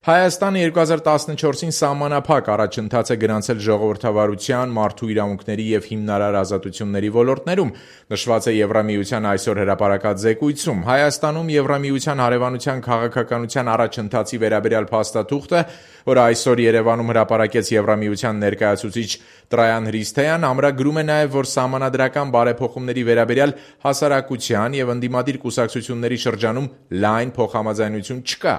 Հայաստանը 2014-ին սահմանափակ առաջընթաց է գրանցել ժողովրդավարության, մարդու իրավունքների և հիմնարար ազատությունների ոլորտներում, նշված է Եվրամիության այսօր հրապարակած զեկույցում։ Հայաստանում Եվրամիության հարևանության քաղաքականության առաջընթացի վերաբերյալ փաստաթուղթը, որը այսօր Երևանում հրապարակեց Եվրամիության ներկայացուցիչ Տրայան Հրիսթոյան, ամրագրում է նաև, որ սահմանադրական բարեփոխումների վերաբերյալ հասարակության և ընդդիմադիր կուսակցությունների շրջանում լայն փոխհամաձայնություն չկա։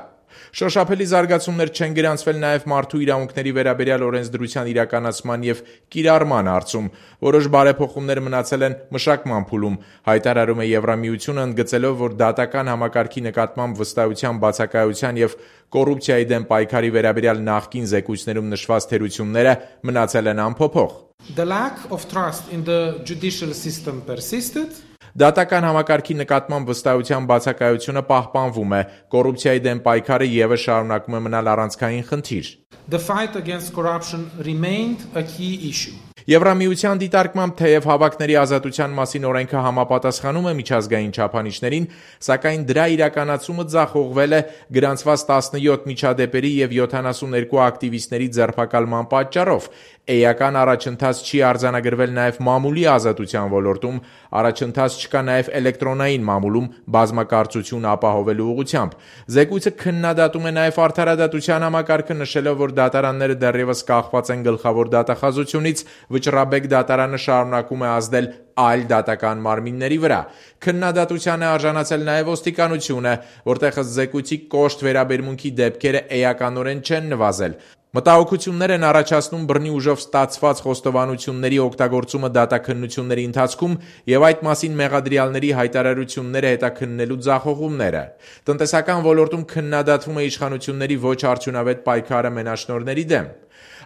Շոշափելի զարգացումներ չեն գրանցվել նաև մարդու իրավունքների վերաբերյալ օրենսդրության իրականացման և կիրառման հարցում։ Որոշ բարեփոխումներ մնացել են մշակման փուլում, հայտարարում է Եվրամիությունը, ընդգծելով, որ դատական համակարգի նկատմամբ վստահության բացակայության և կոռուպցիայի դեմ պայքարի վերաբերյալ նախկին զեկույցներում նշված թերությունները մնացել են անփոփոխ։ The lack of trust in the judicial system persisted. Դատական համակարգի նկատմամբ վստահության բացակայությունը պահպանվում է, կոռուպցիայի դեմ պայքարը ևս շարունակում է մնալ առանցքային խնդիր։ The fight against corruption remained a key issue. Եվրամիության դիտարկմամբ թեև հավաքների ազատության մասին օրենքը համապատասխանում է միջազգային չափանիշներին, սակայն դրա իրականացումը ձախողվել է գրանցված 17 միջադեպերի և 72 ակտիվիստների ձերբակալման պատճառով։ Էական առաջընթաց չի արձանագրվել նաև մամուլի ազատության ոլորտում, առաջընթաց չկա նաև էլեկտրոնային մամուլում բազմակարծություն ապահովելու ուղղությամբ։ Զեկույցը քննադատում է նաև արդարադատության համակարգը, նշելով, որ դատարանները դեռևս կախված են գլխավոր դատախազությունից, Վճռաբեկ դատարանը շարունակում է ազդել այլ դատական մարմինների վրա։ Քննադատության է արժանացել նաև ոստիկանությունը, որտեղ ըստ զեկույցի կոշտ վերաբերմունքի դեպքերը էականորեն չեն նվազել։ Մտահոգություններ են առաջացնում բռնի ուժով ստացված խոստովանությունների օգտագործումը դատաքննությունների ընթացքում և այդ մասին մեղադրյալների հայտարարությունները հետաքննելու ձախողումները։ Տնտեսական ոլորտում քննադատվում է իշխանությունների ոչ արդյունավետ պայքարը մենաշնորհների դեմ։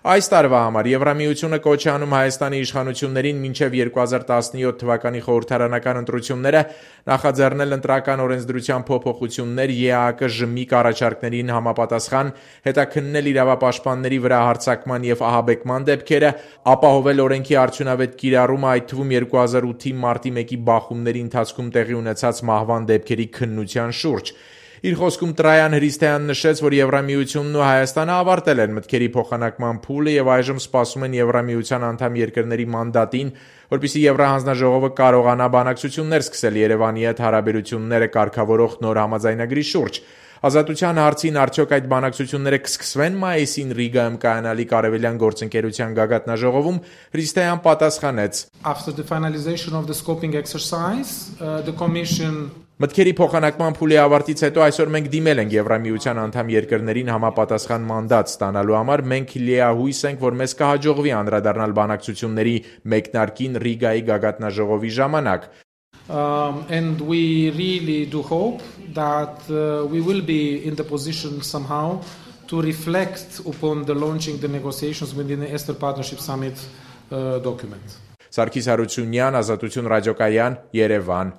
Այս տարվա համար Եվրամիությունը կոչ է անում Հայաստանի իշխանություններին մինչև 2017 թվականի խորհրդարանական ընտրությունները նախաձեռնել ընտրական օրենսդրության փոփոխություններ, ԵԱՀԿ ԺՄԻԿ առաջարկներին համապատասխան, հետաքննել իրավապաշտպանների վրա հարձակման և ահաբեկման դեպքերը, ապահովել օրենքի արդյունավետ կիրառումը, այդ թվում 2008-ի մարտի 1-ի բախումների ընթացքում տեղի ունեցած մահվան դեպքերի քննության շուրջ։ Իր խոսքում Տրայան Հրիսթոյանն նշեց, որ Եվրամիությունն ու Հայաստանը ավարտել են մտքերի փոխանակման փուլը և այժմ սպասում են Եվրամիության անդամ երկրների մանդատին, որպեսզի Եվրահանձնաժողովը կարողանա բանակցություններ սկսել Երևանի հետ հարաբերությունները կարգավորող նոր համաձայնագրի շուրջ։ Ազատության հարցին արդյոք այդ բանակցությունները կսկսվեն մայիսին Ռիգայում կայանալիք Արևելյան գործընկերության գագաթնաժողովում, Հրիսթոյան պատասխանեց. After the finalization of the scoping exercise, the commission Մտքերի փոխանակման փուլի ավարտից հետո այսօր մենք դիմել ենք Եվրամիության անդամ երկրներին համապատասխան մանդատ ստանալու համար, մենք լիահույս ենք, որ մեզ կհաջողվի անդրադառնալ բանակցությունների մեկնարկին Ռիգայի գագաթնաժողովի ժամանակ։ And we really do hope that we will be in the position somehow to reflect upon the launching the negotiations within the Eastern Partnership Summit document. Սարգիս Հարությունյան, Ազատություն ռադիոկայան, Երևան։